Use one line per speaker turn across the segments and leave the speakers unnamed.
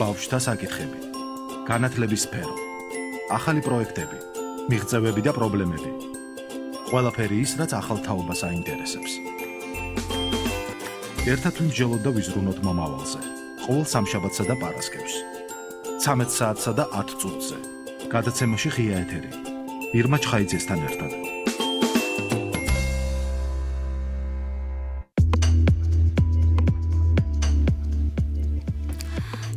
ბავშვთა საკითხები, განათლების სფერო, ახალი პროექტები, მიღწევები და პრობლემები. ყველაფერი ის, რაც ახალ თაობას აინტერესებს. ერთად ვიმსჯელოთ და ვიზრუნოთ მომავალზე. ყოველ სამშაბათსა და პარასკევს. 13 საათსა და 10 წუთზე. გადაცემაში ღია ეთერი. ირმა ჩხაიძესთან ერთად.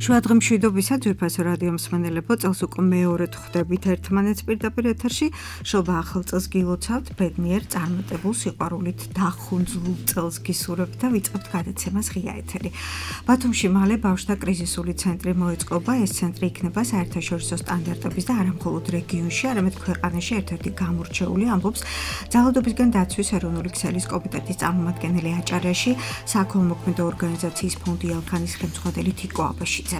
შუადღე მშვიდობისა ძვირფასო რადიო მსმენელებო, წელს უკვე მეორედ ხვდებით ერთმანეთს პირდაპირ ეთერში. შობა ახალ წელს გილოცავთ, ბედნიერ წარმატებულ სიყვარულით დახუნძლულ წელს გისურვებთ და ვიწყებთ გადაცემას ღია ეთერი. ბათუმში მალე ბავშვთა კრიზისული ცენტრი მოეწყობა. ეს ცენტრი იქნება საერთაშორისო სტანდარტების და არა მხოლოდ რეგიონში, არამედ ქვეყანაში ერთ-ერთი გამორჩეული, ამბობს ძალადობისგან დაცვის ეროვნული ქსელის კომიტეტის წარმომადგენელი აჭარაში, საქველმოქმედო ორგანიზაციის ფონდი ალქანის ხელმძღვანელი თიკო აბაშიძე.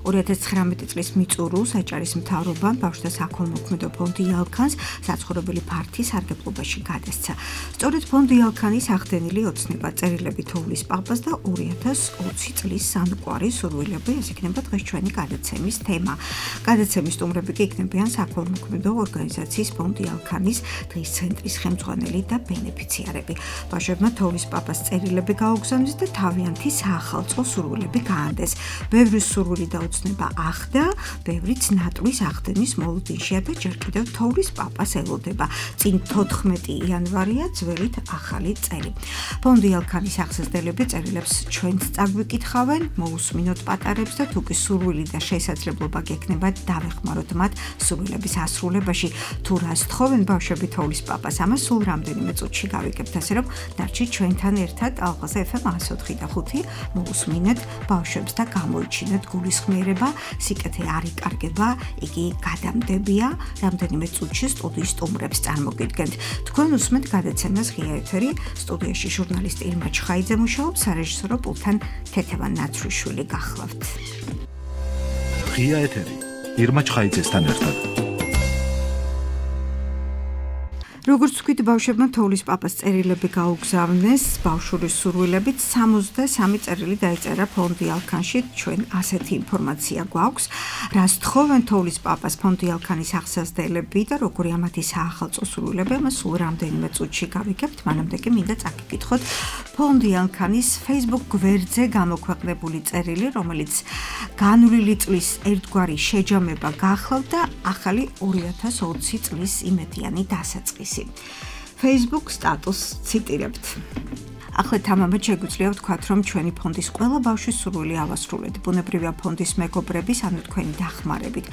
2019 წლის მიწურულს აჭარის მთავრობამ ბავშვთა საქველმოქმედო ფონდი ალქანს საცხოვრებელი ფართი სარგებლობაში გადასცა. სწორედ ფონდი ალქანის ახდენილი ოცნება წერილები თოვლის პაპას და 2020 წლის სამყარო სურვილები, ეს იქნება დღეს ჩვენი გადაცემის თემა. გადაცემის სტუმრები კი იქნებიან საქველმოქმედო ორგანიზაციის ფონდი ალქანის დღის ცენტრის ხელმძღვანელი და ბენეფიციარები. ბავშვებმა თოვლის პაპას წერილები გაუგზავნეს და თავიანთი საახალწლო სურვილები გაანდეს. ბევრი სურვილი და ოცნება ახდა, ბევრიც ნატვლის ახდენის მოლოდინშია და ჯერ კიდევ თოვლის პაპას ელოდება. წინ 14 იანვარია ძველით ახალი წელი. ფონდი ალქანის აღზრდელები წერილებს ჩვენც წაგვიკითხავენ, მოусმინოთ პატარებს და თუ კი სურვილი და შესაძლებლობა გექნება, დავეხმაროთ მათ სურვილების ასრულებაში. თუ რას თხოვენ ბავშვები თოვლის პაპას, ამას სულ რამდენიმე წუთში გავიგებთ, ასე რომ დარჩით ჩვენთან ერთად ალღაზე FM 104.5 მოусმინეთ ბავშვებს და გამოიჩინეთ გულისხმიერება, სიკეთე არ იკარგება, იგი გადამდებია. რამდენიმე წუთში სტუდიის სტუმრებს წარმოგიდგენთ. თქვენ უსმენთ გადაცემას ღია ეთერი, სტუდიაში ჟურნალისტი ირმა ჩხაიძე მუშაობს, სარეჟისორო პულტთან თეთევან ნაცრიშვილი გახლავთ.
ღია ეთერი, ირმა ჩხაიძესთან ერთად.
როგორც ვთქვით, ბავშვებმა თოვლის პაპას წერილები გაუგზავნეს, ბავშვურის სურვილებით 63 წერილი დაიწერა ფონდი ალქანში. ჩვენ ასეთი ინფორმაცია გვაქვს. რას თხოვენ თოვლის პაპას ფონდი ალქანის აღზრდელები და როგორი ამათი საახალწლო სურვილები, ამას სულ რამდენიმე წუთში გავიგებთ. მანამდე კი მინდა წაგიკითხოთ ფონდი ალქანის Facebook გვერდზე გამოქვეყნებული წერილი, რომელიც განვლილი წლის ერთგვარი შეჯამება გახლავთ და ახალი 2020 წლის იმედიანი დასაწყისი. Facebook სტატუსს ციტირებთ. ახლა თამამად შეგვიძლია ვთქვათ, რომ ჩვენი ფონდის ყველა ბავშვის სურვილი ავასრულეთ. ბუნებრივია ფონდის მეგობრების, ანუ თქვენი დახმარებით.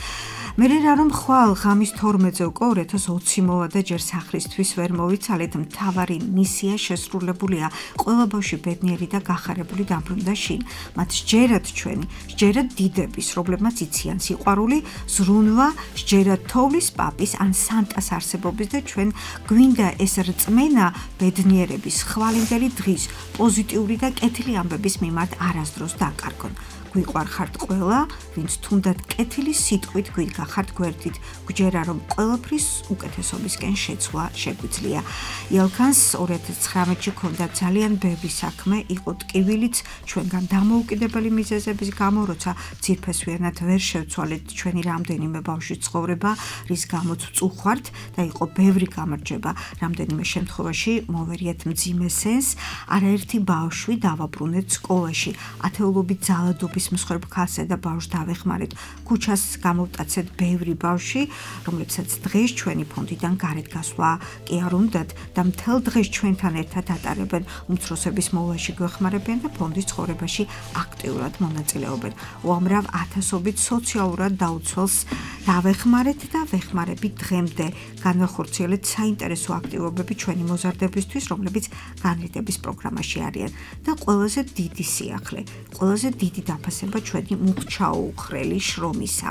მე რა რომ ხვალ ღამის 12-ზე უკვე 2020 მოვა და ჯერ სახლისთვის ვერ მოვიცალეთ, მთავარი მისია შესრულებულია. ყველა ბავშვი ბედნიერი და გახარებული დაბრუნდა შინ. მათ სჯერათ ჩვენი, სჯერათ დიდების, რომლებმაც იციან სიყვარული, ზრუნვა, სჯერათ თოვლის პაპის ან სანტას არსებობის და ჩვენ გვინდა ეს რწმენა ბედნიერების ხვალინდელი დღის პოზიტიური და კეთილი ამბების მიმართ არასდროს დაკარგონ. გვიყვარხართ ყველა, ვინც თუნდაც კეთილი სიტყვით გვიგახართ გვერდით, გვჯერა რომ ყველაფრის უკეთესობისკენ შეცვლა შეგვიძლია. ალქანს 2019-ში ქონდა ძალიან ბევრი საქმე, იყო ტკივილიც ჩვენგან დამოუკიდებელი მიზეზების გამო, როცა ძირფესვიანად ვერ შევცვალეთ ჩვენი რამდენიმე ბავშვის ცხოვრება, რის გამოც ვწუხართ და იყო ბევრი გამარჯვება. რამდენიმე შემთხვევაში მოვერიათ მძიმე სენს, არაერთი ბავშვი დავაბრუნეთ სკოლაში, ათეულობით ძალადობის მსხვერპლ ქალსა და ბავშვს დავეხმარეთ. ქუჩას გამოვტაცეთ ბევრი ბავშვი, რომლებსაც დღეს ჩვენი ფონდიდან გარეთ გასვლა კი არ უნდათ და მთელ დღეს ჩვენთან ერთად ატარებენ, უმცროსების მოვლაში გვეხმარებიან და ფონდის ცხოვრებაში აქტიურად მონაწილეობენ. უამრავ ათასობით სოციალურად დაუცველს დავეხმარეთ და ვეხმარებით დღემდე. განვახორციელეთ საინტერესო აქტივობები ჩვენი მოზარდებისთვის, რომლებიც განრიდების პროგრამაში არიან და ყველაზე დიდი სიახლე, ყველაზე დიდი დაფასება ჩვენი მუხჩაუხრელი შრომისა.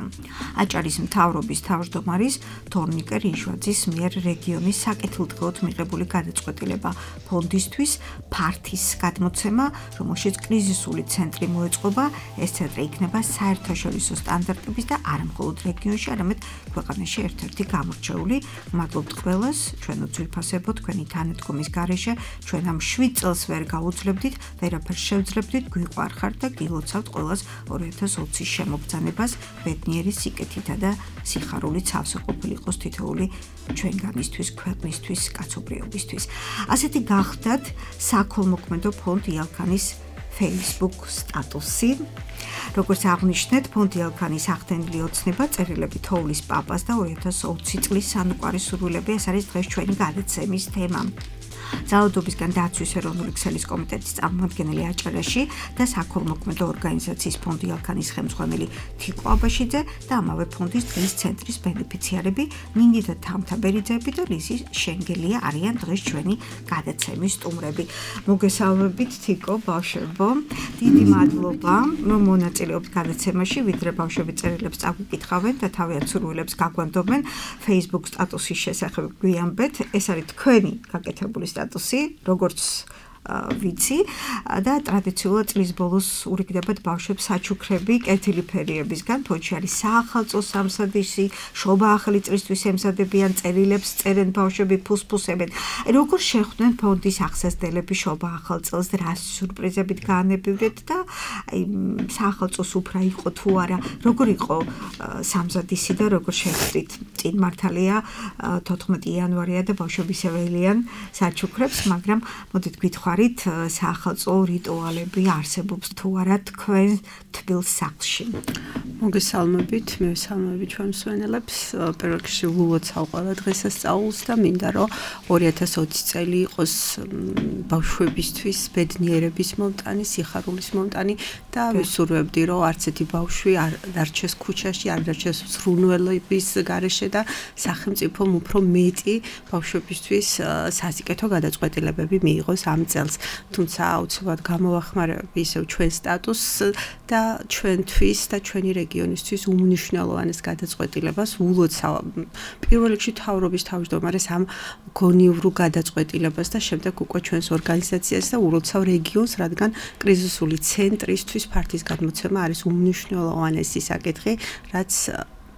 აჭარის კრების მთავრობის თავმჯდომარის თორნიკე რიჟვაძის მიერ რეგიონის საკეთილდღეოდ მიღებული გადაწყვეტილება ფონდისთვის ფართის გადმოცემა, რომელშიც კრიზისული ცენტრი მოეწყობა. ეს ცენტრი იქნება საერთაშორისო სტანდარტების და არა მხოლოდ რეგიონში, არამედ ქვეყანაში ერთ-ერთი გამორჩეული. მადლობთ ყველას, ჩვენო ძვირფასებო, თქვენი თანადგომის გარეშე, ჩვენ ამ 7 წელს ვერ გაუძლებდით, ვერაფერს შევძლებდით, გვიყვარხართ და გილოცავთ ყველას 2020-ის შემოგზანებას, ბედნიერი სიკეთითა და სიხარულით სავსე ყოფილიყოს თითოეული ჩვენგანისთვის, ქვეყნისთვის, კაცობრიობისთვის. ასეთი გახდათ საქველმოქმედო ფონდ იალქანის Facebook სტატუსი. როგორც აღნიშნეთ, ფონდ იალქანის ახდენილი ოცნება წერილები თოვლის პაპას და 2020 წლის სანუკვარი სურვილები, ეს არის დღეს ჩვენი გადაცემის თემა. ძალადობისგან დაცვის ეროვნული ქსელის კომიტეტის წარმომადგენელი აჭარაში და საქველმოქმედო ორგანიზაციის ფონდ იალქანის ხელმძღვანელი თიკო აბაშიძე და ამავე ფონდის დღის ცენტრის ბენეფიციარები მინიდა თამთაბერიძეები და ლიზი შენგელია არიან დღეს ჩვენი გადაცემის სტუმრები. მოგესალმებით თიკო, ბავშვებო, დიდი მადლობა, რომ მონაწილეობთ გადაცემაში, ვიდრე ბავშვები წერილებს წაგვიკითხავენ და თავიანთ სურვილებს გაგვანდობენ Facebook სტატუსის შესახებ გვიამბეთ, ეს არის თქვენი გაკეთებული სტატუსი, როგორც ვიცი და ტრადიციულად წლის ბოლოს ურიგდებათ ბავშვებს საჩუქრები კეთილი ფერიებისგან, თოჩი არის საახალწლო სამსადისი, შობა ახალი წლისთვის ემზადებიან, წერილებს წერენ ბავშვები, ფუსფუსებენ. როგორ შეხვდნენ ფონდის აღსასდელები შობა ახალ წელს, რა სიურპრიზებით გაანებივრეთ და საახალწლო სუფრა იყო თუ არა, როგორ იყო სამზადისი და როგორ შეხვდით? წინ მართალია 14 იანვარია და ბავშვები შეველიან საჩუქრებს, მაგრამ მოდით გითხრათ საახალწლო რიტუალები არსებობს თუ არა თქვენ თბილ სახლში.
მოგესალმებით, მივესალმებით ჩვენ მსმენელებს. პირველ რიგში ვლოცავ ყველა დღესასწაულს და მინდა რომ 2020 წელი იყოს ბავშვებისთვის ბედნიერების მომტანი, სიხარულის მომტანი და ვისურვებდი რომ არც ერთი ბავშვი არ დარჩეს ქუჩაში, არ დარჩეს ზრუნველების გარეშე და სახელმწიფომ უფრო მეტი ბავშვებისთვის სასიკეთო გადაწყვეტილებები მიიღოს ამ წელს. თუმცა აუცილებლად გამოვახმარებ ისევ ჩვენ სტატუსს და ჩვენთვის და ჩვენი რეგიონისთვის უმნიშვნელოვანეს გადაწყვეტილებას ულოცავ პირველ რიგში მთავრობის თავმჯდომარეს ამ გონივრულ გადაწყვეტილებას და შემდეგ უკვე ჩვენს ორგანიზაციას და ულოცავ რეგიონს, რადგან კრიზისული ცენტრისთვის ფართის გადმოცემა არის უმნიშვნელოვანესი საკითხი, რაც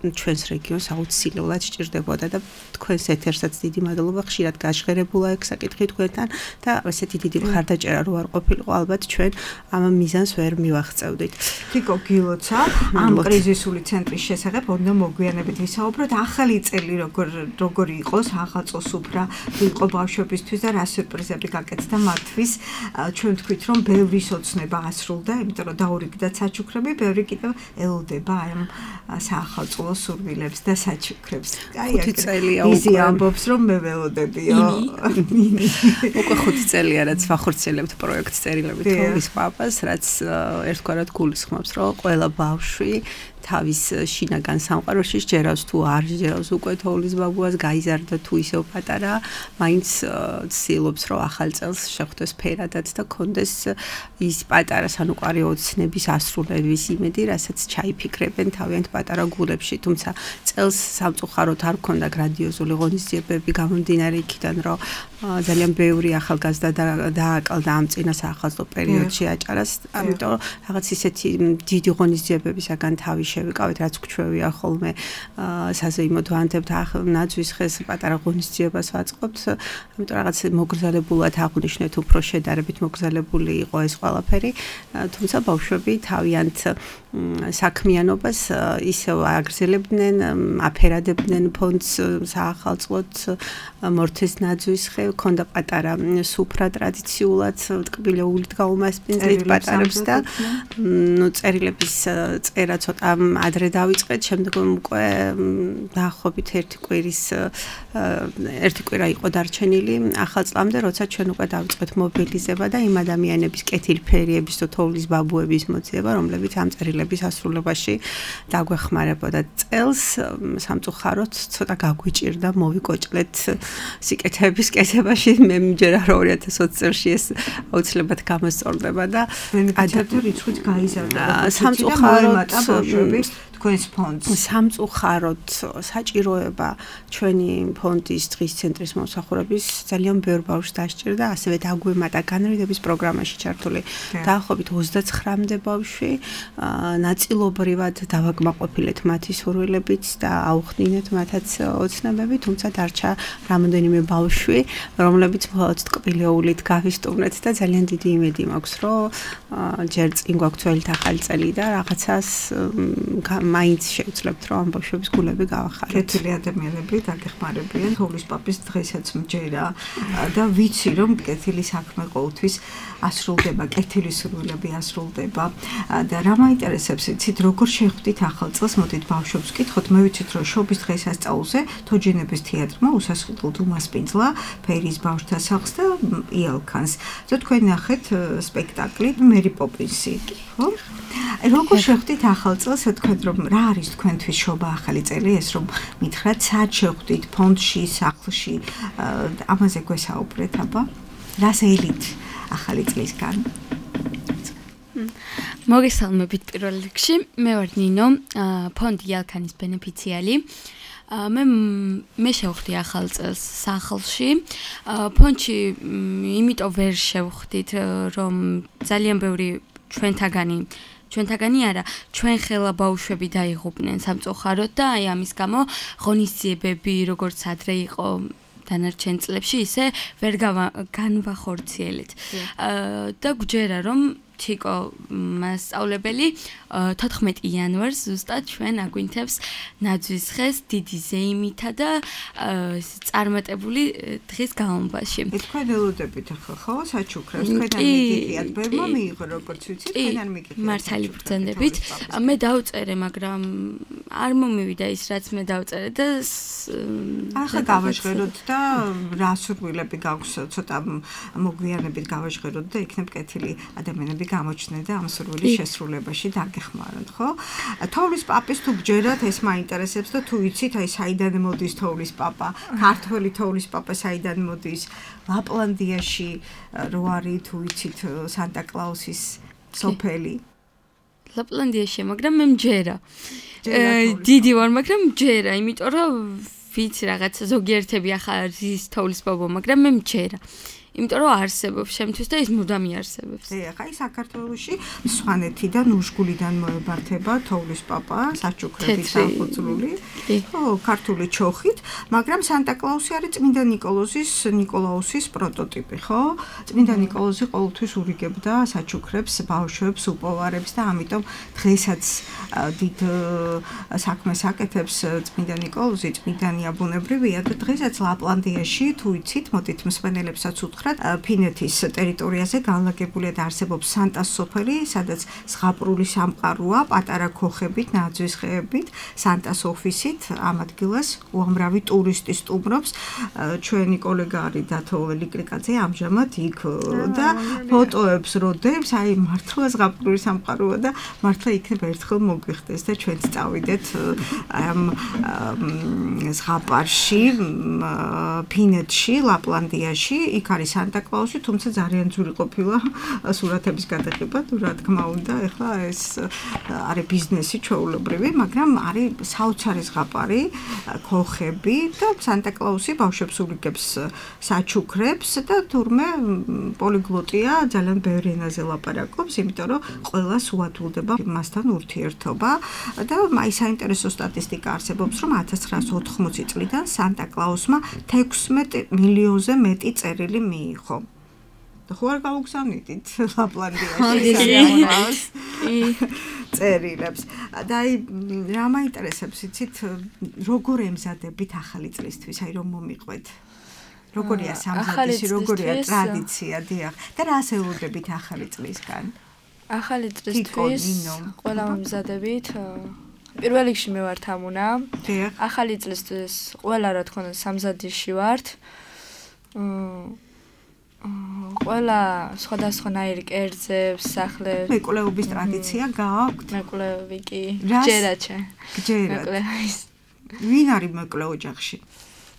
ჩვენს რეგიონს აუცილებლად სჭირდებოდა და თქვენს ეთერსაც დიდი მადლობა, ხშირად გაჟღერებულა ეგ საკითხი თქვენთან და ესეთი დიდი მხარდაჭერა რო არ ყოფილიყო, ალბათ ჩვენ ამ მიზანს ვერ მივაღწევდით.
თიკო, გილოცა ამ კრიზისული ცენტრის შესახებ უნდა მოგვიანებით ვისაუბროთ. ახალი წელი როგორ იყოს, ახალწლო სუფრა იყო ბავშვებისთვის და რა სიურპრიზები გაკეთდა მათთვის. ჩვენ თქვით რომ ბევრი სოცნება ასრულდა, იმიტომ რომ დაურიგდათ საჩუქრები, ბევრი კიდევ ელოდება ამ საახალწლო სურვილებს და საჩუქრებს.
აი, 5 წელია
ისე ამბობს რომ მე ველოდებიო.
უკვე 5 წელია რაც ვახორციელებთ პროექტს წერილები თოვლის პაპას, რაც ერთგვარად გულისხმობს რომ ყველა ბავშვი თავის შინაგან სამყაროში ჯერავს თუ არ ჯერავს უკვე თოვლის ბაბუას, გაიზარდა თუ ისევ პატარა, მაინც ცდილობს რომ ახალ წელს შეხვდეს ფერადად და კონდეს ის პატარა სანუკვარი ოცნების ასრულების იმედი, რასაც ჩაიფიქრებენ თავიანთ პატარა გულებში. თუმცა წელს სამწუხაროდ არ ქონდა გრანდიოზული ღონისძიებები გამომდინარე იქიდან, რომ ძალიან ბევრი ახალგაზრდა დააკლდა ამ წინა საახალწლო პერიოდში აჭარას, ამიტომ რაღაც ისეთი დიდი ღონისძიებებისაგან თავი შევიკავეთ, რაც გვჩვევია ხოლმე საზეიმოდ ვანდებთ ნაძვის ხეს პატარა ღონისძიებას ვაწყობთ, ამიტომ რაღაც მოგრძალებულად აღვნიშნეთ, უფრო შედარებით მოგრძალებული იყო ეს ყველაფერი, თუმცა ბავშვები თავიანთ საქმიანობას ისევ აგრძელებდნენ, აფერადებდნენ ფონდს საახალწლოდ მორთეს ნაძვის ხე, ქონდა პატარა სუფრა ტრადიციულად ტკბილეულით გაუმასპინძლით პატარებს და წერილების წერა ცოტა ადრე დავიწყეთ, შემდეგ უკვე დაახლოებით ერთი კვირა იყო დარჩენილი ახალ წლამდე, როცა ჩვენ უკვე დავიწყეთ მობილიზება და იმ ადამიანების კეთილფერიების და თოვლის ბაბუების მოძიება, რომლებიც ამ წერილების ასრულებაში დაგვეხმარებოდა წელს. სამწუხაროდ ცოტა გაგვიჭირდა მოვიკოჭლეთ სიკეთების კეთებაში, მე მჯერა 2020 წელს ეს აუცილებლად გამოსწორდება და
ადამიანთა რიცხვიც გაიზარდა.
სამწუხაროდ
თქვენს ფონდს?
სამწუხაროდ საჭიროება ჩვენი ფონდის დღის ცენტრის მომსახურების ძალიან ბევრ ბავშვს დასჭირდა, ასევე დაგვემატა განრიდების პროგრამაში ჩართული დაახლოებით 29-მდე ბავშვი, ნაწილობრივად დავაკმაყოფილეთ მათი სურვილებით და აუხდინეთ მათაც ოცნებები, თუმცა დარჩა რამოდენიმე ბავშვი, რომლებიც მხოლოდ ტკბილეულით გავისტუმრეთ და ძალიან დიდი იმედი მაქვს, რომ ჯერ წინ გვაქვს ძველი ახალი წელი და რაღაცას მაინც შევძლებთ, რომ ამ ბავშვების გულები გავახაროთ.
კეთილი ადამიანები დაგეხმარებიან თოვლის პაპის დღესაც მჯერა და ვიცი რომ კეთილი საქმე ყოველთვის ასრულდება, კეთილი სურვილები ასრულდება და რა მაინტერესებს იცით როგორ შეხვდით ახალ წელს, მოდით ბავშვებს ვკითხოთ, მე ვიცით რომ შობის დღესასწაულზე თოჯინების თეატრმა უსასყიდლოდ უმასპინძლა ფერის ბავშვთა სახლს და იალქანს. თქვენ ნახეთ სპექტაკლი მერი პოპინსი, ხო? როგორ შეხვდით ახალ წელს, თქვენ რომ რა არის თქვენთვის შობა ახალი წელი, ეს რომ მითხრათ სად შეხვდით ფონდში, სახლში, ამაზე გვესაუბრეთ, აბა? რას ელით ახალი წლისგან?
მოგესალმებით პირველ რიგში, მე ვარ ნინო, ფონდი იალქანის ბენეფიციარი. მე შევხვდი ახალ წელს სახლში. ფონდში იმიტომ ვერ შევხვდით, რომ ძალიან ბევრი ჩვენთაგანი არა, ჩვენ ხელა ბავშვები დაიღუპნენ სამწუხაროდ და აი ამის გამო ღონისძიებები როგორც ადრე იყო დანარჩენ წლებში, ისე ვერ განვახორციელეთ. და გვჯერა რომ თიკო მასწავლებელი 14 იანვარს ზუსტად ჩვენ აგვინთებს ნაძვის ხეს დიდი ზეიმითა და წარმატებული დღის განმავლობაში.
თქვენ ელოდებით ახლა ხო საჩუქრებს, თქვენთან მიგიღიათ, ბევრმა მიიღო როგორც ვიცით, თქვენთან მიგიღიათ.
მართალი ბრძანდებით. მე დავწერე, მაგრამ არ მომივიდა ის რაც მე დავწერე და
ახლა გავაჟღეროთ და რა სურვილები გაქვს, ცოტა მოგვიანებით გავაჟღეროთ და იქნებ კეთილი ადამიანები გამოჩნდნენ და ამ სურვილის შესრულებაში დაგეხმაროთ, ხო? თოვლის პაპის თუ გჯერათ, ეს მაინტერესებს და თუ იცით, აი საიდან მოდის თოვლის პაპა, ქართველი თოვლის პაპა საიდან მოდის, ლაპლანდიაში რო არის, თუ იცით, სანტა-კლაუსის სოფელი.
ლაპლანდიაში, მაგრამ მე მჯერა. დიდი ვარ, მაგრამ მჯერა, იმიტომ რომ ვიცი რაღაც ზოგიერთები ახლა არის თოვლის პაპა, მაგრამ მე მჯერა. იმიტომ რომ არსებობს შემთთვის და ის მუდამ იარსებებს.
ახლა საქართველოში სვანეთიდან უშგულიდან მოებართება თოვლის პაპა, საჩუქრებით დაფუძნული, ხო, ქართული ჩოხით, მაგრამ სანტა-კლაუსი არის წმინდა ნიკოლაუსის პროტოტიპი, ხო? წმინდა ნიკოლოზი ყოველთვის ურიგებდა საჩუქრებს, ბავშვებს, უპოვარებს და ამიტომ დღესაც დიდ საქმეს აკეთებს წმინდა ნიკოლოზი, წმინდანია ბუნებრივია და დღესაც ლაპლანდიაში, თუ იცით, მოდით მსმენელებსაც ფინეთის ტერიტორიაზე განლაგებულია და არსებობს სანტას სოფელი, სადაც ზღაპრული სამყაროა, პატარა ქოხებით, ნაძვის ხეებით, სანტას ოფისით, ამ ადგილას უამრავი ტურისტი სტუმრობს. ჩვენი კოლეგა არის დათო ლიკლიკაძე, ამჟამად იქ და ფოტოებს როდებს, აი მართლა ზღაპრული სამყაროა და მართლა იქნებ ერთხელ მოგვიხდეს და ჩვენც წავიდეთ ამ ზღაპარში, ფინეთში, ლაპლანდიაში, იქ არის სანტა-კლაუსი, თუმცა ძალიან ძვირი ყოფილა სურათების გადაღება, რა თქმა უნდა, ეხლა ეს არის ბიზნესი ჩვეულებრივი, მაგრამ არის საოცარი ზღაპარი, ქოხები და სანტა-კლაუსი ბავშვებს ურიგებს საჩუქრებს და თურმე პოლიგლოტია, ძალიან ბევრი ენაზე ლაპარაკობს, იმიტომ რომ ყველას უადვილდება მასთან ურთიერთობა და აი საინტერესო სტატისტიკა არსებობს, რომ 1980 წლიდან სანტა-კლაუსმა 16 მილიონზე მეტი წერილი მიიღო. ხო არ გავუგზავნით ლაპლანდიაში წერილებს. და აი რა მაინტერესებს იცით, როგორ ემზადებით ახალი წლისთვის, აი რომ მომიყვეთ. როგორია სამზადისი, როგორია ტრადიცია, დიახ. და რას ელოდებით ახალი წლისგან?
ახალი წლისთვის ყველა მომზადებით. პირველ რიგში მე ვარ თამუნა. ახალი წლისთვის ყველა რა თქმა უნდა სამზადისში ვართ. ყველა სხვადასხვანაირი კერძებს, სახლებს.
მეკვლეობის ტრადიცია გააქვთ?
მეკვლევი კი. გჯერაჩე.
გჯერათ. ვინ არის მეკლე ოჯახში?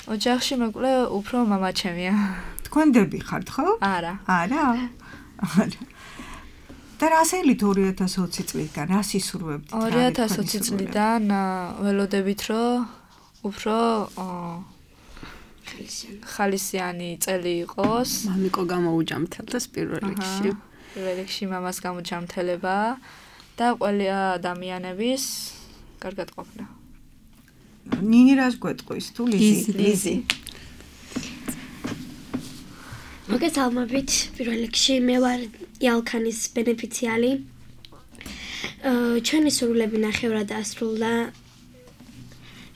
ოჯახში მეკლე უფრო მამაჩემია.
თქვენ დები ხართ, ხო?
არა.
არა. და რა სელით 2020 წლიდან რა სისურვებთ?
2020 წლიდან ველოდებით რომ უფრო ხალისიანი წელი იყოს.
მამიკო გამოუჯამთელდეს პირველ რიგში.
პირველ რიგში მამას გამოჯამთელება და ყველა ადამიანების კარგად ყოფნა.
ნინი რას გვეტყვის თუ ლიზი?
მოგესალმებით, პირველ რიგში მე ვარ იალქანის ბენეფიციარი. ჩვენი სურვილები ნახევრად ასრულდა.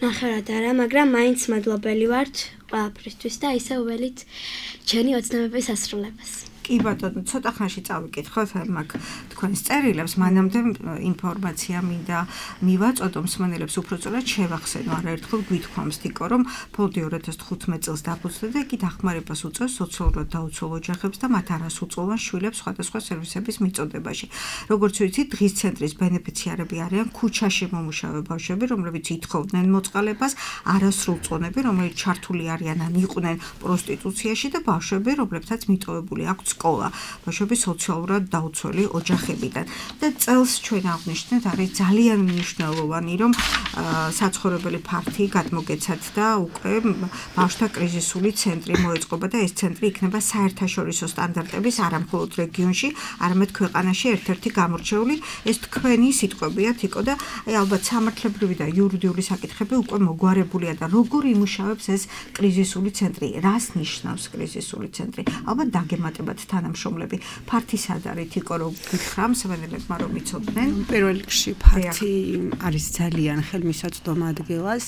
ნახევრად არა, მაგრამ მაინც მადლობელი ვართ ყველაფრისთვის და ისევ ველით ჩვენი ოცნებების ასრულებას.
კი ბატონო, ცოტა ხანში წავიკითხოთ მაგ თქვენს წერილებს, მანამდე ინფორმაცია მინდა მივაწოდო მსმენელებს, უბრალოდ შევახსენო, არაერთხელ გვითქვამს თიკო, რომ ფონდი 2015 წელს დაფუძნდა და იგი დახმარებას უწევს სოციალურად დაუცველ ოჯახებს და მათ არასრულწლოვან შვილებს სხვადასხვა სერვისების მიწოდებაში. როგორც ვიცით, დღის ცენტრის ბენეფიციარები არიან ქუჩაში მომუშავე ბავშვები, რომლებიც ითხოვდნენ მოწყალებას, არასრულწლოვნები, რომლებიც ჩართული არიან ან იყვნენ პროსტიტუციაში და ბავშვები, რომლებსაც მიტოვებული აქვთ სკოლა, ბავშვები სოციალურად დაუცველი ოჯახებიდან. და წელს ჩვენ აღნიშნეთ, არის ძალიან მნიშვნელოვანი, რომ საცხოვრებელი ფართი გადმოგეცათ და უკვე ბავშვთა კრიზისული ცენტრი მოეწყობა და ეს ცენტრი იქნება საერთაშორისო სტანდარტების არამხოლოდ რეგიონში, არამედ ქვეყანაში ერთ-ერთი გამორჩეული. ეს თქვენი სიტყვებია, თიკო, და ალბათ სამართლებრივი და იურიდიული საკითხები უკვე მოგვარებულია და როგორ იმუშავებს ეს კრიზისული ცენტრი? რას ნიშნავს კრიზისული ცენტრი? ალბათ დაგემატებათ თანამშრომლები. ფართი სად არის, თიკო, რომ გითხრა მსმენელებმა რომ იცოდნენ?
პირველ რიგში ფართი არის ძალიან ხელმისაწვდომ ადგილას,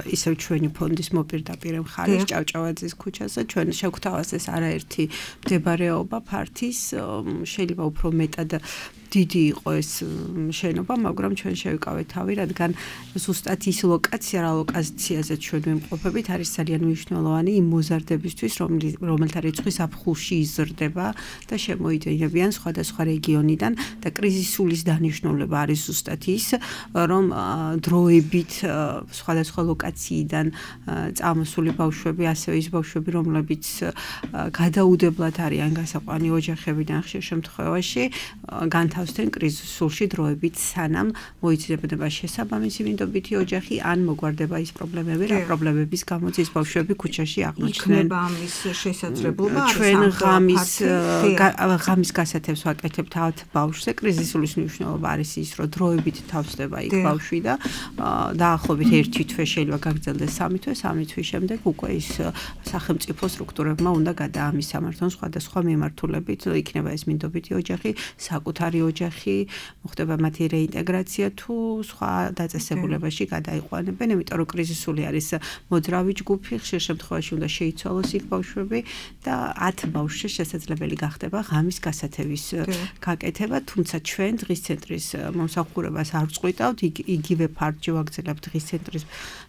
ისევ ჩვენი ფონდის მოპირდაპირ მხარეს ჭავჭავაძის ქუჩაზე. ჩვენ შევგვთავაზეს არაერთი მდებარეობა ფართის, შეიძლება უფრო მეტად დიდი იყო ეს შენობა, მაგრამ ჩვენ შევიკავეთ თავი, რადგან ზუსტად ის ლოკაცია, რა ლოკაციაზე ჩვენ ვიმყოფებით, არის ძალიან მნიშვნელოვანი იმ მოზარდებისთვის, რომელთა რიცხვი ზაფხულში იზრდება და შემოიდინებიან სხვადასხვა რეგიონიდან და კრიზისულის დანიშნულება არის ზუსტად ის, რომ დროებით სხვადასხვა ლოკაციიდან წამოსული ბავშვები, ასევე ის ბავშვები, რომლებიც გადაუდებლად არიან გასაყვანი ოჯახებიდან ხშირ შემთხვევაში განთავსდნენ კრიზისულში დროებით, სანამ მოიცნებდება შესაბამისი მინდობითი ოჯახი ან მოგვარდება ის პრობლემები, რა პრობლემების გამოც ის ბავშვები ქუჩაში აღმოჩნდნენ.
იქნება ამის შესაძლებლობა,
ჩვენ ღამის გასათევს ვაკეთებთ ავთ ბავშვზე. კრიზისულის მნიშვნელობა არის ის, რომ დროებით თავსდება იქ ბავშვი და დაახლოებით 1 თვე შეიძლება გაგრძელდეს 3 თვე, 3 თვის შემდეგ უკვე ის სახელმწიფო სტრუქტურებმა უნდა გადაამისამართონ სხვადასხვა მიმართულებით, იქნება ეს მინდობითი ოჯახი, საკუთარი ოჯახი, მოხდება მათი რეინტეგრაცია თუ სხვა დაწესებულებაში გადაიყვანებენ, იმიტომ რომ კრიზისული არის მოძრავი ჯგუფი, ხშირ შემთხვევაში უნდა შეიცვალოს იქ ბავშვები და 10 ბავშვს შესაძლებელი გახდება ღამის გასათევის გაკეთება, თუმცა ჩვენ დღის ცენტრის მომსახურებას არ ვწყვიტავთ, იგივე ფარჯი ვაგრძელებთ დღის ცენტრის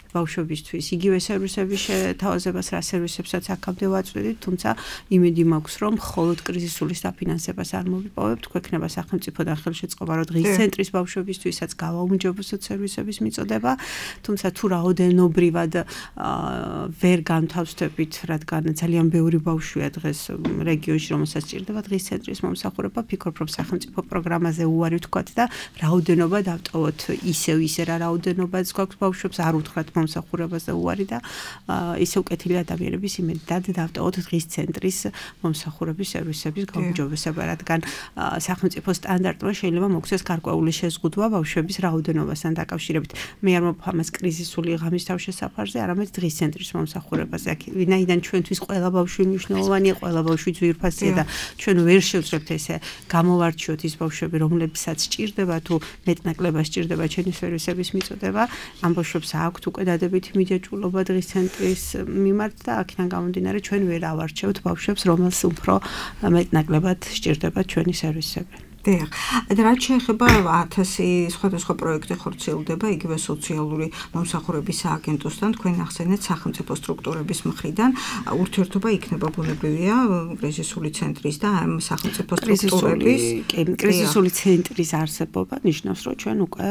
ბავშვებისთვის, იგივე სერვისების შეთავაზებას, რა სერვისებსაც აქამდე ვაწვდით, თუმცა იმედი მაქვს, რომ მხოლოდ კრიზისულის დაფინანსებას არ მოვიპოვებთ, გვექნება სახელმწიფოდან ხელშეწყობა, რომ დღის ცენტრის ბავშვებისთვისაც გავაუმჯობესოთ სერვისების მიწოდება, თუმცა თუ რაოდენობრივად ვერ განთავსდებით, რადგან ძალიან ბევრი ბავშვია დღეს რეგიონში, რომელსაც სჭირდება დღის ცენტრის მომსახურება, ფიქრობ, რომ სახელმწიფო პროგრამაზე უარი ვთქვათ და რაოდენობა დავტოვოთ ისე რა რაოდენობაც გვაქვს ბავშვებს, არ უთხრათ მომსახურებაზე უარი და ისევ კეთილი ადამიანების იმედად დავტოვოთ დღის ცენტრის მომსახურების სერვისების გაუმჯობესება, რადგან სახელმწიფო სტანდარტმა შეიძლება მოგვცეს გარკვეული შეზღუდვა ბავშვების რაოდენობასთან დაკავშირებით. მე არ მოფხამეს კრიზისული ღამის თავშესაფარზე, არამედ დღის ცენტრის მომსახურებაზე. ვინაიდან ჩვენთვის ყველა ბავშვი მნიშვნელოვანია, ყველა ბავშვი ძვირფასია და ჩვენ ვერ შევძლებთ ესე გამოვარჩიოთ ის ბავშვები, რომლებსაც სჭირდება თუ მეტნაკლებად სჭირდება ჩვენი სერვისების მიწოდება, ამ ბავშვებს აქვთ უკვე დადებითი მიჯაჭვულობა დღის ცენტრის მიმართ და აქედან გამომდინარე ჩვენ ვერ ავარჩევთ ბავშვებს, რომელს უფრო მეტნაკლებად სჭირდება ჩვენი სერვისები.
დიახ. რაც შეეხება 1000 სხვადასხვა პროექტი ხორციელდება იგივე სოციალური მომსახურების სააგენტოსთან, თქვენ ახსენეთ სახელმწიფო სტრუქტურების მხრიდან, ურთიერთობა იქნება ბუნებრივია კრიზისული ცენტრის და ამ სახელმწიფო სტრუქტურების
კრიზისული ცენტრის არსებობა ნიშნავს, რომ ჩვენ უკვე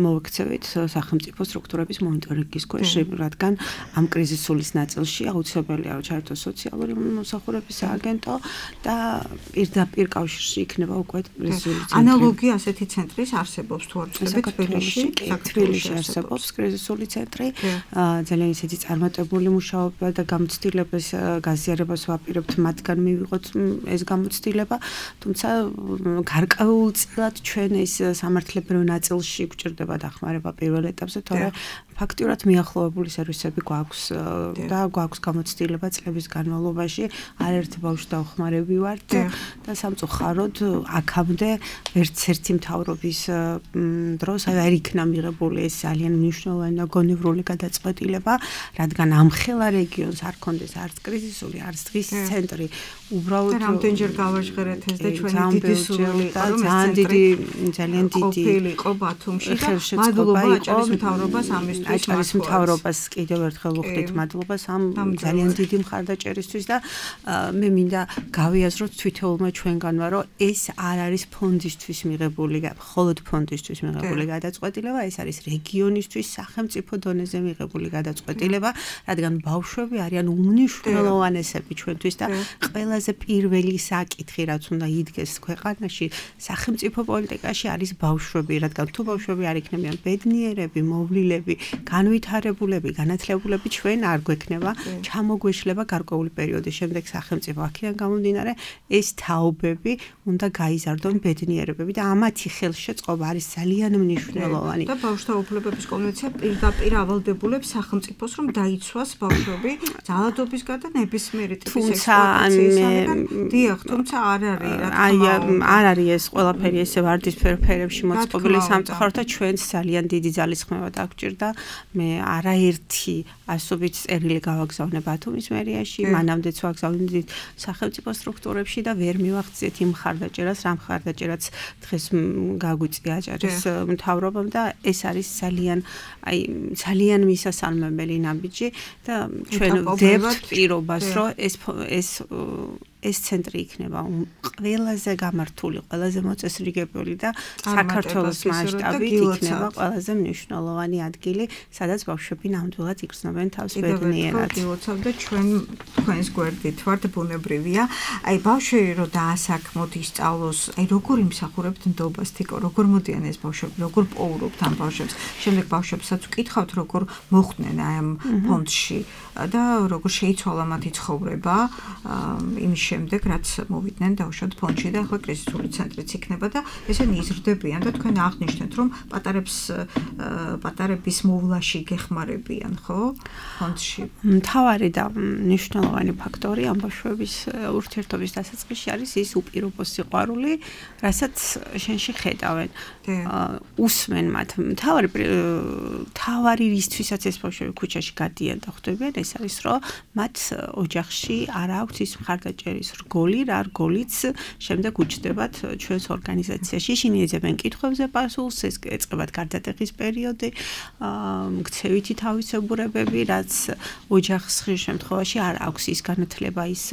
მოვექცევით სახელმწიფო სტრუქტურების მონიტორინგის ქვეშ, რადგან ამ კრიზისულის ნაწილში აუცილებელია ჩაერთოს სოციალური მომსახურების სააგენტო და პირდაპირ კავშირში იქნება უკვე
ანალოგი ასეთი ცენტრის არსებობს თუ არ ვწდებით
თბილისში არსებობს კრიზისული ცენტრი ძალიან ისეთი წარმატებული მუშაობა და გამოცდილებას გაზიარებას ვაპირებთ მათგან მივიღოთ ეს გამოცდილება თუმცა გარკვეულწილად ჩვენ ეს სამართლებრივ ნაწილში გვჭირდება დახმარება პირველ ეტაპზე თორე ფაქტიურად მიახლოებული სერვისები გვაქვს და გვაქვს გამოცდილება წლების განმავლობაში არაერთი ბავშვი დავხმარები ვართ და სამწუხაროდ აქამდე ერთ-ერთი მთავრობის დროს არ იქნა მიღებული ეს ძალიან მნიშვნელოვანი და გონევრული გადაწყვეტილება რადგან ამ ხელა რეგიონს არ ქონდეს არც კრიზისული არც დღის ცენტრი უბრალოდ
რამდენჯერ გავაჟღერეთ ეს და ჩვენი დიდი სურვილი იყო რომ
ძალიან დიდი
იყო ბათუმში და მადლობა აჭარის მთავრობას ამისთვის
აჭარის მთავრობას კიდევ ერთხელ ვუხდით მადლობას ამ ძალიან დიდი მხარდაჭერისთვის და მე მინდა გავიაზროთ თვითონმა ჩვენგანმა რომ ეს არ არის ფონდისთვის მიღებული მხოლოდ ფონდისთვის მიღებული გადაწყვეტილება ეს არის რეგიონისთვის სახელმწიფო დონეზე მიღებული გადაწყვეტილება რადგან ბავშვები არიან უმნიშვნელოვანესები ჩვენთვის და ყველაზე პირველი საკითხი რაც უნდა იდგეს ქვეყანაში სახელმწიფო პოლიტიკაში არის ბავშვები რადგან თუ ბავშვები არ იქნებიან ბედნიერები მოვლილები განვითარებულები განათლებულები ჩვენ არ გვექნება ჩამოგვეშლება გარკვეული პერიოდის შემდეგ სახელმწიფო აქედან გამომდინარე ეს თაობები უნდა გაიზარდონ ბედნიერებები და ამათი ხელშეწყობა არის ძალიან მნიშვნელოვანი
და ბავშვთა უფლებების კონვენცია პირდაპირ ავალდებულებს სახელმწიფოს რომ დაიცვას ბავშვები ძალადობისგან და ნებისმიერი ტიპის ექსპლუატაციისგან დიახ თუმცა არ
არის ეს ყველაფერი ესე ვარდისფერ ფერებში მოწყობილი სამწუხაროდ და ჩვენს ძალიან დიდი ძალისხმევა დაგჭირდა მე არაერთი ასობით წერილი გავაგზავნე ბათუმის მერიაში მანამდეც ვაგზავნით სახელმწიფო სტრუქტურებში და ვერ მივახციეთ იმ მხარდაჭერას რამ მხარდაჭერაც დღეს გაგვიწია აჭარის მთავრობამ და ეს არის ძალიან მისასალმებელი ნაბიჯი და ჩვენ ვდებთ პირობას რომ ეს ცენტრი იქნება ყველაზე გამართული, ყველაზე მოწესრიგებული და საქართველოს მასშტაბით იქნება ყველაზე მნიშვნელოვანი ადგილი, სადაც ბავშვები ნამდვილად იგრძნობენ თავს ბედნიერად.
გილოცავ და თქვენს გვერდით ვართ ბუნებრივია. აი ბავშვი რო დაასაქმოთ ისწავლოს, აი როგორ იმსახურებთ ნდობას თიკო, როგორ მოდიან ეს ბავშვები, როგორ პოულობთ ამ ბავშვებს. შემდეგ ბავშვებსაც ვკითხავთ როგორ მოხვდნენ აი ამ ფონდში და როგორ შეიცვალა მათი ცხოვრება იმის შემდეგ რაც მოვიდნენ დავუშვათ ფონდში და ახლა კრიზისული ცენტრიც იქნება და ესენი იზრდებიან და თქვენ აღნიშნეთ რომ პატარების მოვლაში გეხმარებიან ხო ფონდში
მთავარი და მნიშვნელოვანი ფაქტორი ამ ბავშვების ურთიერთობის დასაწყისში არის ის უპირობო სიყვარული რასაც შენში ხედავენ უსმენ მათ მთავარი რისთვისაც ეს ბავშვები ქუჩაში გადიან და ხვდებიან ეს არის რომ მათ ოჯახში არ აქვს ის მხარდაჭერის რგოლი რა რგოლიც შემდეგ უჩნდებათ ჩვენს ორგანიზაციაში ისინი ეძებენ კითხვებზე პასუხს ეს ეწყებათ გარდატეხის პერიოდი მქცევითი თავისებურებები რაც ოჯახს ხშირ შემთხვევაში არ აქვს ის განათლება ის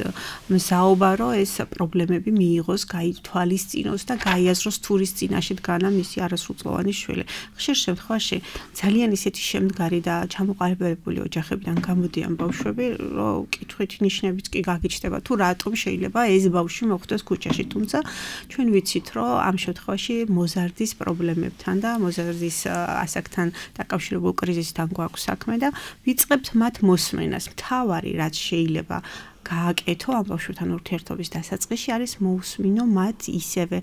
მზაობა რომ ეს პრობლემები მიიღოს გაითვალისწინოს და გაიაზროს თურის წინაშე დგანა მისი არასრულწლოვანი შვილი ხშირ შემთხვევაში ძალიან ისეთი შემდგარი და ჩამოყალიბებული ოჯახებიდან გამოდიან ბავშვები რომ კითხვით ნიშნებიც კი გაგიჩნდება თუ რატომ შეიძლება ეს ბავშვი მოხვდეს ქუჩაში თუმცა ჩვენ ვიცით რომ ამ შემთხვევაში მოზარდის პრობლემებთან და მოზარდის ასაკთან დაკავშირებულ კრიზისთან გვაქვს საქმე და ვიწყებთ მათ მოსმენას მთავარი რაც შეიძლება გააკეთო ამ ბავშვთან ურთიერთობის დასაწყისში არის მოусმინო მათ ისევე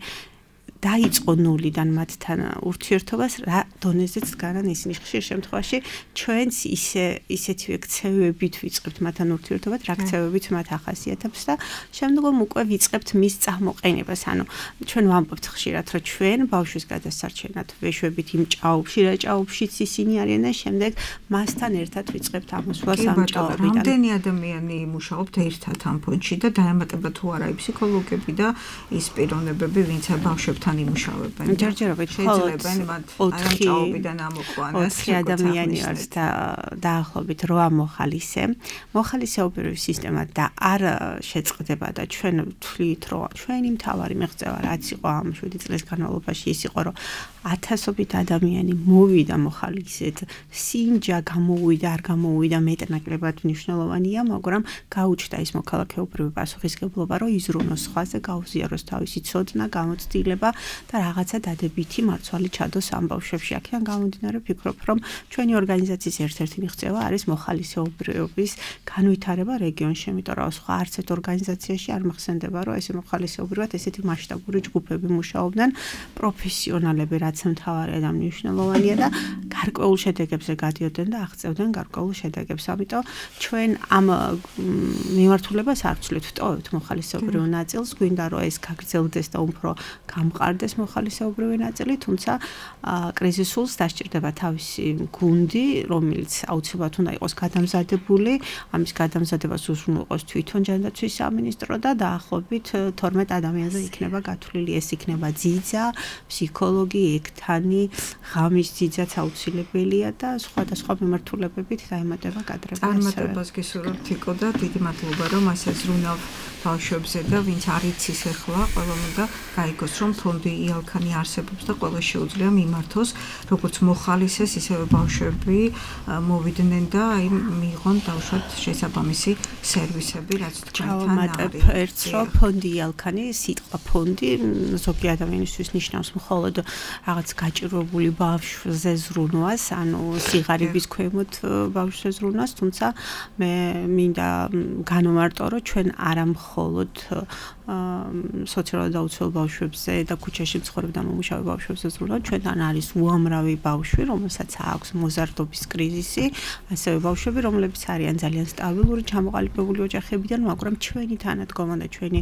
დაიწყო ნულიდან მათთან ურთიერთობას რა დონეზეც დგანან ისინი ხშირ შემთხვევაში ჩვენც ისეთივე ქცევებით ვიწყებთ მათთან ურთიერთობას რა ქცევებით მათ ახასიათებს და შემდგომ უკვე ვიწყებთ მის წამოყენებას ანუ ჩვენ ვამბობთ ხშირად რომ ჩვენ ბავშვის გადასარჩენად ვეშვებით იმ ჭაობში რა ჭაობშიც ისინი არიან და შემდეგ მასთან ერთად ვიწყებთ ამოსვლას ამ ჭაობიდან
რამდენი ადამიანი მუშაობთ ერთად ამ ფონდში და დაემატება თუ არა ფსიქოლოგები და ის პიროვნებები ვინც ბავშვებთან იმუშავებენ.
ჯერჯერობით
შეიძლება მათ ამ ჭაობიდან ამოყვანას.
4 ადამიანი არის და დაახლოებით 8 მოხალისე. მოხალისეობრივი სისტემა და არ შეწყდება და ჩვენ ვთვლით რომ ჩვენი მთავარი მიღწევა რაც იყო ამ 7 წლის განმავლობაში ის იყო რომ ათასობით ადამიანი მოვიდა მოხალისეთ, სინჯა გამოვიდა, არ გამოვიდა მეტნაკლებად მნიშვნელოვანია, მაგრამ გაუჩნდა ის მოქალაქეობრივი პასუხისგებლობა, რომ იზრუნოს სხვაზე, გაუზიაროს თავისი ცოდნა, გამოცდილება და რაღაცა დადებითი მარცვალი ჩადოს ამ ბავშვებში. აქედან გამომდინარე ვფიქრობ, რომ ჩვენი ორგანიზაციის ერთ-ერთი მიღწევა არის მოხალისეობრივობის განვითარება რეგიონში, იმიტომ რომ სხვა არც ერთ ორგანიზაციაში არ მახსენდება, რომ ესე მოხალისეობრივად ესეთი მასშტაბური ჯგუფები მუშაობდნენ, პროფესიონალები, რაც მთავარია და მნიშვნელოვანია და გარკვეულ შედეგებზე გადიოდნენ და აღწევდნენ გარკვეულ შედეგებს. ამიტომ ჩვენ ამ მიმართულებას არ ვცვლით, ვტოვებთ მოხალისეობრივ ნაწილს, გვინდა რომ ეს გაგრძელდეს და უფრო გამყარდეს მოხალისეობრივი ნაწილი, თუმცა კრიზისულს დასჭირდება თავისი გუნდი, რომელიც აუცილებლად უნდა იყოს გადამზადებული, ამის გადამზადებას უზრუნველყოფს თვითონ ჯანდაცვის სამინისტრო და დაახლოებით 12 ადამიანზე იქნება გათვლილი, ეს იქნება ძიძა, ფსიქოლოგი, ექთანი, ღამის ძიძაც აუცილებელია და სხვადასხვა მიმართულებებით დაემატება კადრები.
წარმატებას გისურვებთ თიკო და დიდი მადლობა რომ ასე ზრუნავ ბავშვებზე და ვინც არ იცის ახლა ყველამ უნდა გაიგოს რომ ფონდი იალქანი არსებობს და ყველა შეუძლია მიმართოს როგორც მოხალისეს ისევე ბავშვები მოვიდნენ და აი მიიღონ დავუშვათ შესაბამისი სერვისები რაც თქვენთან არის.
ერთს რომ ფონდი იალქანი სიტყვა ფონდი ზოგი ადამიანისთვის ნიშნავს მხოლოდ რაღაც გაჭირვებული ბავშვზე ზრუნვას, ანუ სიღარიბის ქვემოთ ბავშვზე ზრუნვას, თუმცა მე მინდა განვმარტო რომ ჩვენ არა მხოლოდ სოციალურად დაუცველ ბავშვებზე და ქუჩაში მცხოვრებ და მომუშავე ბავშვებზე ზრუნავთ, ჩვენთან არის უამრავი ბავშვი, რომელსაც აქვს მოზარდობის კრიზისი, ასევე ბავშვები, რომლებიც არიან ძალიან სტაბილური, ჩამოყალიბებული ოჯახებიდან, მაგრამ ჩვენი თანადგომა და ჩვენი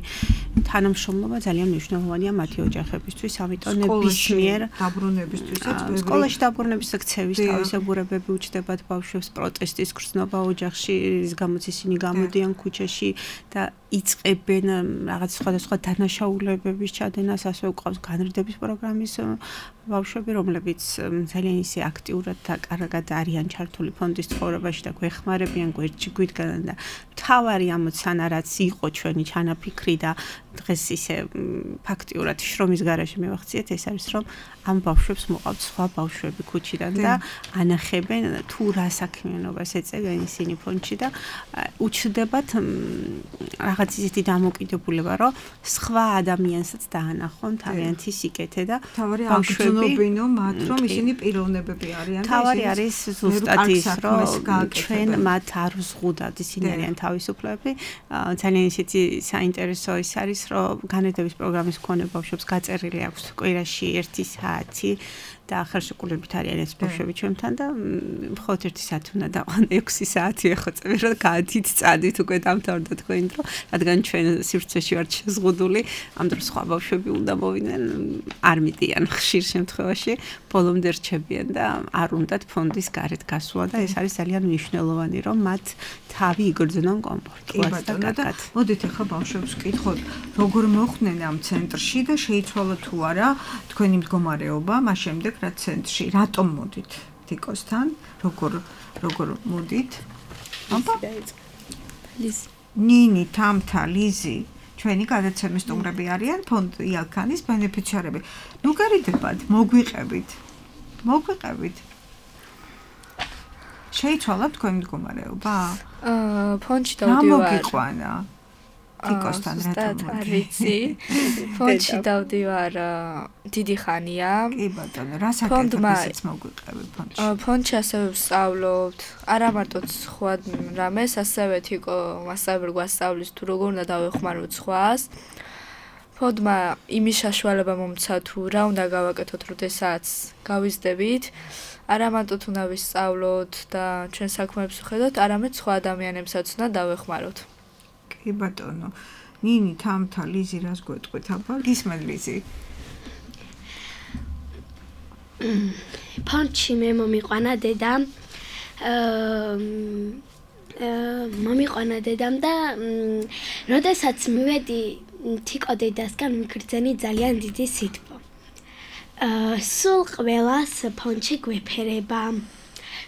თანამშრომლობა ძალიან მნიშვნელოვანია მათი ოჯახებისთვის, ამიტომ ნებისმიერ
დაბრუნებისთვისაც
სკოლაში დაბრუნების ქცევის თავისებურებები უჩნდებათ ბავშვებს, პროტესტის გრძნობა ოჯახში, რის გამოც ისინი გამოდიან ქუჩაში და იწყებენ რაღაც სხვადასხვა დანაშაულებების ჩადენას, ასევე გვყავს განრიდების პროგრამის ბავშვები, რომლებიც ძალიან ისე აქტიურად და კარგად არიან ჩართული ფონდის ცხოვრებაში და გვეხმარებიან, გვერდში გვიდგანან და მთავარი ამოცანა რაც იყო ჩვენი ჩანაფიქრი და დღეს ისე ფაქტიურად შრომის გარეშე მივახციეთ, ეს არის რომ ამ ბავშვებს მოყავთ სხვა ბავშვები ქუჩიდან და ანახებენ თუ რა საქმიანობას ეწევიან ისინი ფონდში და უჩნდებათ რაღაც ისეთი დამოკიდებულება, რომ სხვა ადამიანსაც დაანახონ თავიანთი სიკეთე და
ბავშვებინო მათ რომ ისინი პიროვნებები არიან და
თავარი არის ზუსტად ის რომ ჩვენ მათ არ ვზღუდავთ, ისინი არიან თავისუფლები. ძალიან ისეთი საინტერესო ის არის რომ განათლების პროგრამის მქონე ბავშვებს გაწერილი აქვს კვირაში 1 საათი და ხელშეკრულებით არიან ეს ბავშვები ჩვენთან და მხოლოდ 1 საათი უნდა დაყვან 6 საათი ეხოვწები რომ გაათით წადით უკვე დამთავრდა თქვენი დრო, რადგან ჩვენ სივრცეში ვართ შეზღუდული, ამ დროს სხვა ბავშვები უნდა მოვიდნენ, არ მიდიან ხშირ შემთხვევაში, ბოლომდე რჩებიან და არ უნდათ ფონდის გარეთ გასვლა და ეს არის ძალიან მნიშვნელოვანი რომ მათ თავი იგრძნონ კომფორტულად და კარგად.
მოდით ახლა ბავშვებს ვკითხოთ, როგორ მოხვდნენ ამ ცენტრში და შეიცვალა თუ არა თქვენი მდგომარეობა მას შემდეგ რა ცენტრში, რატომ მოდით თიკოსთან, როგორ მოდით? აბა ნინი, თამთა, ლიზი, ჩვენი გადაცემის სტუმრები არიან ფონდ იალქანის ბენეფიციარები. ნუ გერიდებათ, მოგვიყევით. შეიცვალა თქვენი მდგომარეობა?
ფონდში დავდივარ.
მოგიყვანა. თიკოსთან რატომ
ვიცი. ფონდში დავდივარ დიდი ხანია.
კი ბატონო, რა საკეთებისიც მოგვიყევი ფონდში?
ფონდში ასევე ვსწავლობთ, არა მარტო სხვა რამეს, ასევე თიკო მასწავლებელი გვასწავლის თუ როგორ უნდა დავეხმაროთ სხვას. ფონდმა იმის საშუალება მომცა თუ რა უნდა გავაკეთოთ, როდესაც გავიზრდებით. არა მარტო უნდა ვისწავლოთ და ჩვენ საქმეებს ვხედოთ, არამედ სხვა ადამიანებსაც უნდა დავეხმაროთ.
კი ბატონო. ნინი, თამთა, ლიზი რას გვეტყვით აბა? გისმენ ლიზი?
ფონდში მე მომიყვანა დედამ. მომიყვანა დედამ და როდესაც მივედი თიკო დედასგან მიგრძენი ძალიან დიდი სითბო. სულ ყველას ფონდში გვეფერება.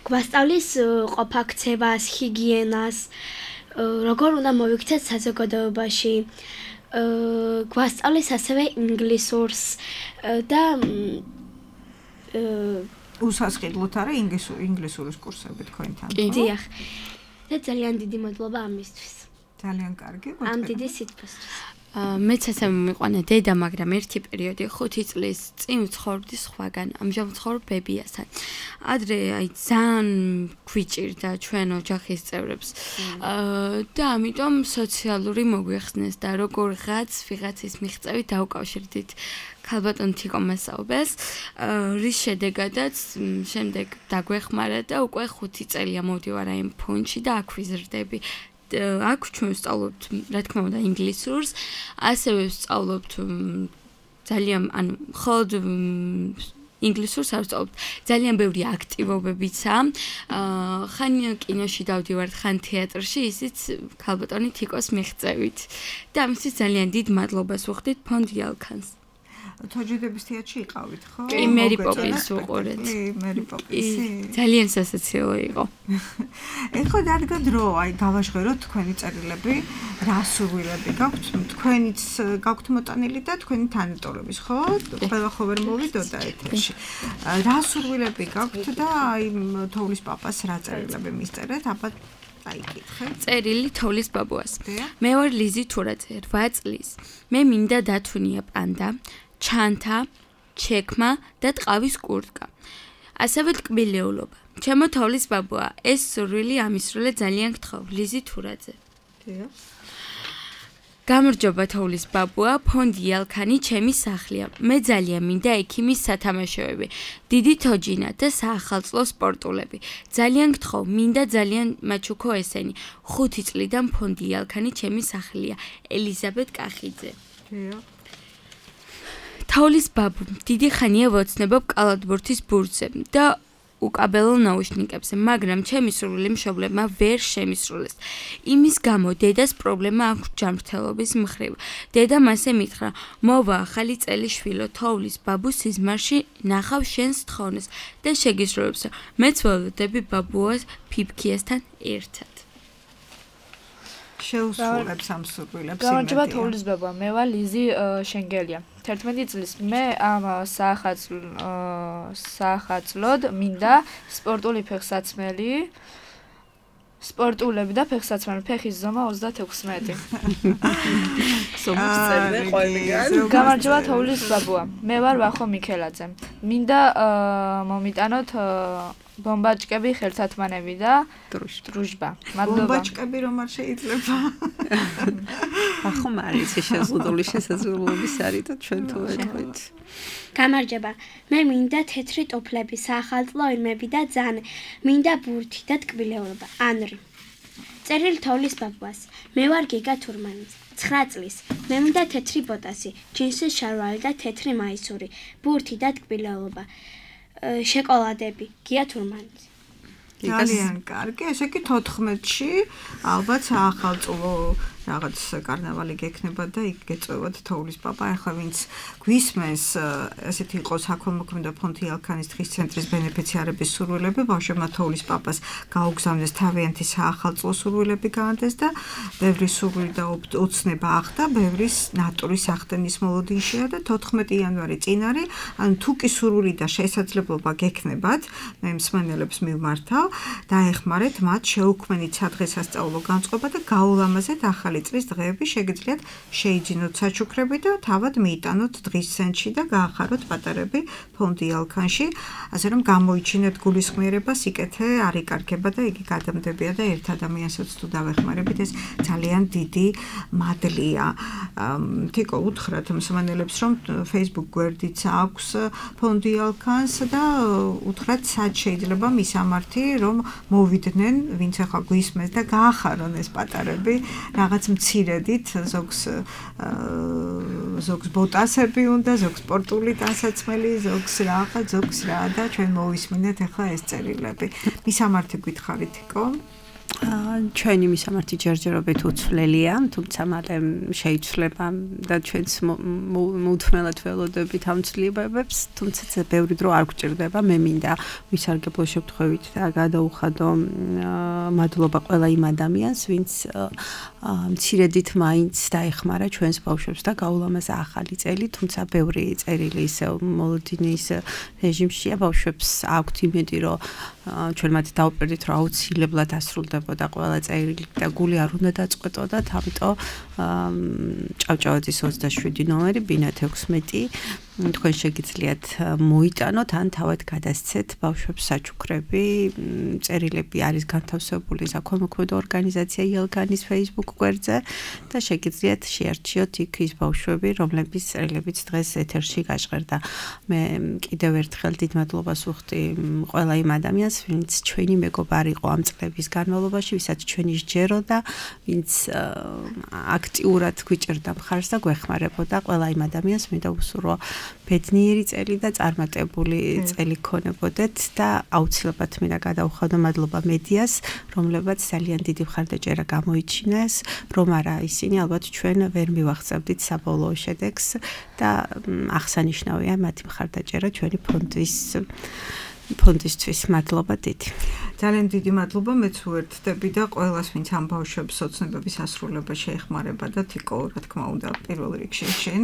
გვასწავლის ყოფაქცევას, ჰიგიენას, როგორ უნდა მოვიქცეთ საზოგადოებაში. გვასწავლის ასევე ინგლისურს და
უსასყიდლოთ არა ინგლისურის კურსები თქვენთან.
დიახ. და ძალიან დიდი მადლობა ამისთვის.
ძალიან კარგი.
ამ დიდი სიტყვისთვის.
მეც ასე მომიყვანა დედა, მაგრამ ერთი პერიოდი 5 წლის წინ ვცხოვრობდი სხვაგან, ამჟამად ვცხოვრობ ბებიასთან. ადრე აი ძალიან გვიჭირდა ჩვენ ოჯახის წევრებს. და ამიტომ სოციალური მოგვიხსნეს და როგორღაც ვიღაცის მიღწევით დაუკავშირდით ქალბატონ თიკო მასაუბეს, რის შედეგადაც შემდეგ დაგვეხმარა და უკვე 5 წელია მოვდივარ აი ფონდში და აქ ვიზრდები. აქ ჩვენ ვსწავლობთ, რა თქმა უნდა, ინგლისურს, ასევე ვსწავლობთ ძალიან, ანუ მხოლოდ ინგლისურს არ ვსწავლობთ, ძალიან ბევრი აქტივობებიცა. ხან კინოში დავდივართ, ხან თეატრში, ისიც ქალბატონი თიკოს მიღწევით. და ამისთვის ძალიან დიდ მადლობას ვუხდით ფონდ იალქანს.
თოჯიდების თეატრში იყავით, ხო?
კი, მერი პოპინს ვუყურეთ.
მერი პოპინსი.
ძალიან სასაცილო იყო.
ეხლა დადგა დრო, აი გავაჟღეროთ თქვენი წერილები, რა სურვილები გაქვთ? თქვენიც გაქვთ მოტანილი და თქვენი თანატოლების, ხო? ყველა ხო ვერ მოვიდოდა ეთერში. რა სურვილები გაქვთ და აი თოვლის პაპას რა წერილები მისწერეთ? აბა აიკითხე.
წერილი თოვლის ბაბუას. მე ვარ ლიზი თურაძე, 8 წლის. მე მინდა დათუნია პანდა, ჩანთა, ჩექმა და ტყავის კურტკა. ასევე ტკბილეულობა. ჩემო თოვლის ბაბუა, ეს სურვილი ამისრულე ძალიან გთხოვ, ლიზი თურაძე. გამარჯობა თოვლის ბაბუა, ფონდი იალქანი ჩემი სახლია. მე ძალიან მინდა ექიმის სათამაშოები, დიდი თოჯინა და საახალწლო სპორტულები. ძალიან გთხოვ, მინდა ძალიან მაჩუქო ესენი. 5 წლიდან ფონდი იალქანი ჩემი სახლია. ელიზაბეთ კახიძე. თოვლის ბაბუ, დიდი ხანია ვოცნებობ კალათბურთის ბურთზე და უკაბელო ნაუშნიკებზე, მაგრამ ჩემი სურვილი მშობლებმა ვერ შემისრულეს. იმის გამო დედას პრობლემა აქვს ჯანმრთელობის მხრივ. დედამ ასე მითხრა: მოვა ახალი წელი შვილო, თოვლის ბაბუ სიზმარში ნახავ შენს თხოვნას და შეგისრულებს, მეც ველოდები ბაბუას ფიფქიასთან ერთად.
შეუსრულებს ამ სურვილებს.
გამარჯობა თოვლის ბაბუა, მე ვარ ლიზი შენგელია. 11 წლის მე ამ საახალწლოდ მინდა სპორტული ფეხსაცმელი, სპორტულები და ფეხსაცმელი, ფეხის ზომა 36. გამარჯობა თოვლის ბაბუა, მე ვარ ვახო მიქელაძე. მინდა მომიტანოთ ბომბაჭკები, ხელთათმანები და დრუჟბა. მადლობა.
ბომბაჭკები რომ არ შეიძლება.
ახო მარიცი შეზღუდული შესაძლებლობის არის და ჩვენ თუ ვეთქვით.
გამარჯობა. მე მინდა თეთრი ტოფლები, საახალწლო ირმები და ძანე. მინდა ბურთი და ტკბილეულობა. ანრი. წერილი თოვლის ბაბუას. მე ვარ გიგა თურმანი. 9 წლის. მე მინდა თეთრი ბოტასი, ჯინსის შარვალი და თეთრი მაისური, ბურთი და ტკბილეულობა. შოკოლადები, გია თურმანი.
ძალიან კარგი, ესე იგი 14-ში ალბათ საახალწლო რაღაც კარნავალი გექნება და იქ გეწევათ თოვლის პაპა. ახლა ვინც გვისმენს, ესეთი იყო საქველმოქმედო ფონდი იალქანის დღის ცენტრის ბენეფიციარების სურვილები, ბავშვებმა თოვლის პაპას გაუგზავნეს თავიანთი საახალწლო სურვილები გაანდეს და ბევრი სურვილი და ოცნება ახდა, ბევრის ნატურის ახდენის მოლოდინშია და 14 იანვარი წინ არის, ანუ თუ კი სურვილი და შესაძლებლობა გექნებათ, მე მსმენელებს მივმართავ, დაეხმარეთ მათ შეუქმნით სადღესასწაულო განწყობა და გაულამაზეთ ახალი წლის დღეები, შეგიძლიათ შეიძინოთ საჩუქრები და თავად მიიტანოთ დღის ცენტრში და გაახაროთ პატარები ფონდი იალქანში, ასე რომ გამოიჩინეთ გულისხმიერება, სიკეთე არ იკარგება და იგი გადამდებია და ერთ ადამიანსაც თუ დავეხმარებით, ეს ძალიან დიდი მადლია. თიკო უთხრათ მსმენელებს, რომ Facebook გვერდიც აქვს ფონდი იალქანს და უთხრათ სად შეიძლება მისამართი, რომ მოვიდნენ, ვინც ახლა გვისმენს და გაახარონ ეს პატარები, რაღაც მცირედით, ზოგს ბოტასები უნდა, ზოგს სპორტული ტანსაცმელი, ზოგს რაღაც, ზოგს რა და ჩვენ მოვისმინეთ ახლა ეს წერილები. მისამართი გითხარით, თიკო?
ჩვენი მისამართი ჯერჯერობით უცვლელია, თუმცა მალე შეიცვლება და ჩვენც მოუთმელად ველოდებით ამ ცვლილებებს, თუმცა ბევრი დრო არ გვჭირდება. მე მინდა ვისარგებლო შემთხვევით და გადაუხადო მადლობა ყველა იმ ადამიანს, ვინც მცირედით მაინც დაეხმარა ჩვენს ბავშვებს და გაულამაზა ახალი წელი, თუმცა ბევრი წერილი ისევ მოლოდინის რეჟიმშია, ბავშვებს აქვთ იმედი, რომ ჩვენ მათ დავუპირდით, რომ აუცილებლად ასრულდებოდა ყველა წერილი და გული არ უნდა დაწყვეტოდათ, ამიტომ ჭავჭავაძის 27 ნომერი, ბინათ 16 თქვენ შეგიძლიათ მოიტანოთ ან თავად გადასცეთ ბავშვებს საჩუქრები, წერილები არის განთავსებული საქველმოქმედო ორგანიზაცია იელგანის Facebook გვერდზე და შეგიძლიათ შეარჩიოთ იქ ის ბავშვები, რომლების წერილებიც დღეს ეთერში გაჟღერდა. მე კიდევ ერთხელ დიდ მადლობას ვუხდი ყველა იმ ადამიანს, ვინც ჩვენი მეგობარი იყო ამ წლების განმავლობაში, ვისაც ჩვენი სჯეროდა, ვინც აქტიურად გვიჭერდა მხარს და გვეხმარებოდა. ყველა იმ ადამიანს მინდა ვუსურვო ბედნიერი წელი და წარმატებული წელი ქონებოდეთ და აუცილებლად მინდა გადაუხადო მადლობა მედიას, რომლებაც ძალიან დიდი მხარდაჭერა გამოიჩინეს, რომ არა ისინი ალბათ ჩვენ ვერ მივახცევდით საბოლოო შედეგს და აღსანიშნავია მათი მხარდაჭერა ჩვენი ფონდისთვის. მადლობა დიდი.
ძალიან დიდი მადლობა, მეც ვერთდები და ყველას, ვინც ამ ბავშვებს ოცნებების ასრულება შეეხმარება და თიკო, რა თქმა უნდა, პირველ რიგში შენ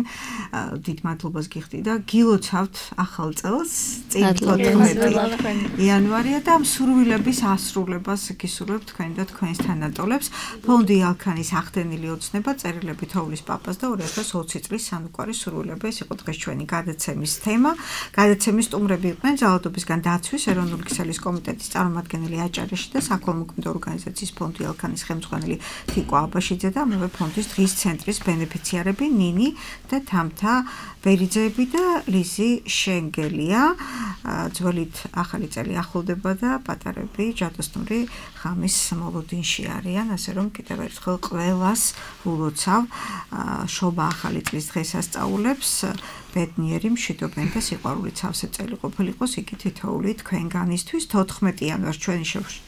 დიდ მადლობას გიხდი და გილოცავთ ახალ წელს, წინ 14 იანვარია და ამ სურვილების ასრულებას გისურვებთ თქვენ და თქვენს თანატოლებს. ფონდი ალქანის ახდენილი ოცნება, წერილები თოვლის პაპას და 2020 წლის სანუკვარი სურვილები, ეს იყო დღეს ჩვენი გადაცემის თემა. გადაცემის სტუმრები იყვნენ ძალადობისგან დაცვის ეროვნული ქსელის კომიტეტის წარმომადგენელი აჭარეში და საქველმოქმედო ორგანიზაციის ფონდი ალქანის ხელმძღვანელი თიკო აბაშიძე და ამავე ფონდის დღის ცენტრის ბენეფიციარები ნინი და თამთა ბერიძეები და ლიზი შენგელია. ძველით ახალი წელი ახლოვდება და პატარები ჯადოსნური ღამის მოლოდინში არიან, ასე რომ კიდევ ერთხელ ყველას ულოცავ შობა ახალი წლის დღესასწაულებს, ბედნიერი, მშვიდობიანი და სიყვარული სავსე წელი ყოფილიყოს იგი თითოეული თქვენგანისთვის. 14 იანვარს ჩვენ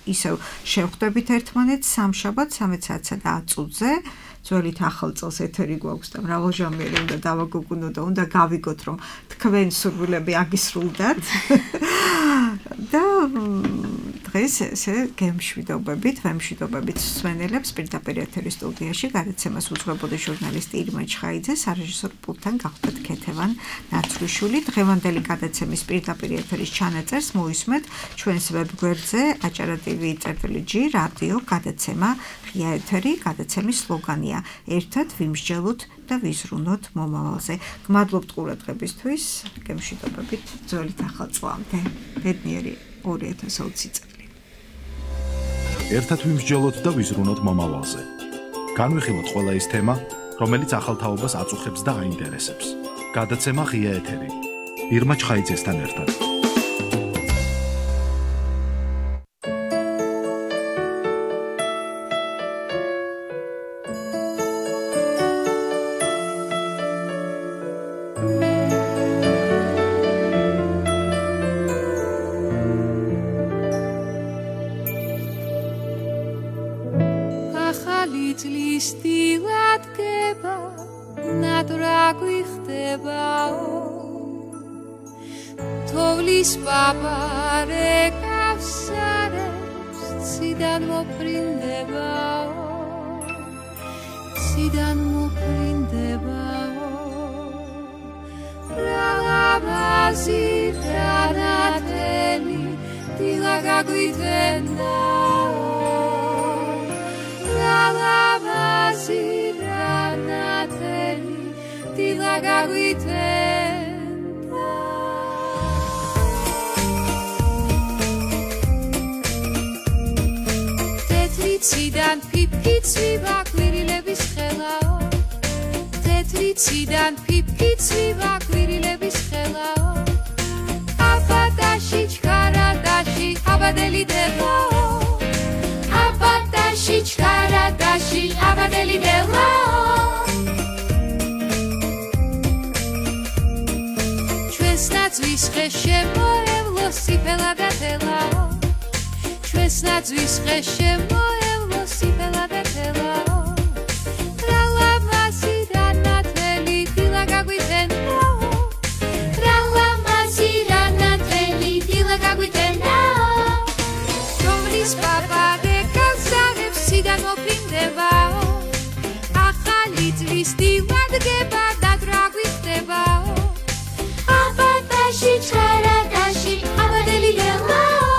ისევ შევხვდებით ერთმანეთს სამშაბათს 13:00 და 10 წუთზე. ძველით ახალ წელს ეთერი გვაქვს და მრავალჟამიერი უნდა დავაგოგუნოთ და უნდა გავიგოთ, რომ თქვენ სურვილები აგისრულდათ. და დღეს ესე გემშვიდობებით, ვემშვიდობებით სვენელებს პირდაპირ ეთერის სტუდიაში გადაცემას უძღვებოდა ჟურნალისტი ირმა ჩხაიძე, სარეჟისორო პულტთან გახდათ ქეთევან ნაცვლიშვილი. დღევანდელი გადაცემის პირდაპირ ეთერის ჩანაწერს მოისმენთ ჩვენს ვებგვერდზე acara.tv/g რადიო გადაცემა ღია ეთერი. გადაცემის სლოგანია ერთად ვიმსჯელოთ და ვიზრუნოთ მომავალზე. გმადლობთ ყურადღებისთვის, გემშვიდობებით ძველით ახალ წლამდე. ბედნიერი 2020 წელი.
ერთად ვიმსჯელოთ და ვიზრუნოთ მომავალზე. განვიხილოთ ყველა ის თემა, რომელიც ახალ თაობას აწუხებს და აინტერესებს. გადაცემა ღია ეთერი. ირმა ჩხაიძესთან ერთად.
Ჩვენს ნაძვის ხე შემოევლო სიფელა ვეთელაო რა ლამაზი რა ნათელი დილა გაგვიტენაო რა ლამაზი რა ნათელი დილა გაგვიტენაო რომლის პაპა რეკალსაღებს სიდან მოფრინდებაო ახალი წლის დილადგება და რა გვიხდებაო აბადაში ჩხერადაში აბადელი ლელაო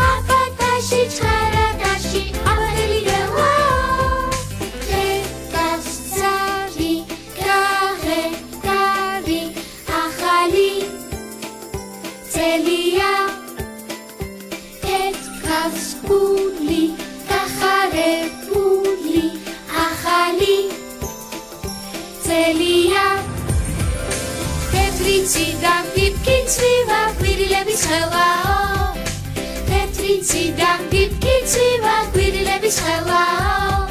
აბადაში ჩხერადაში აბადელი ლელაო რეკალსაღი გაღებარი ახალი წელია ეთქავს გული გახარებული ახალი წელია თეთრიციდან პიპკი წვივა გვირილების ხელაო თეთრიციდან პიპკი წვივა გვირილების ხელაო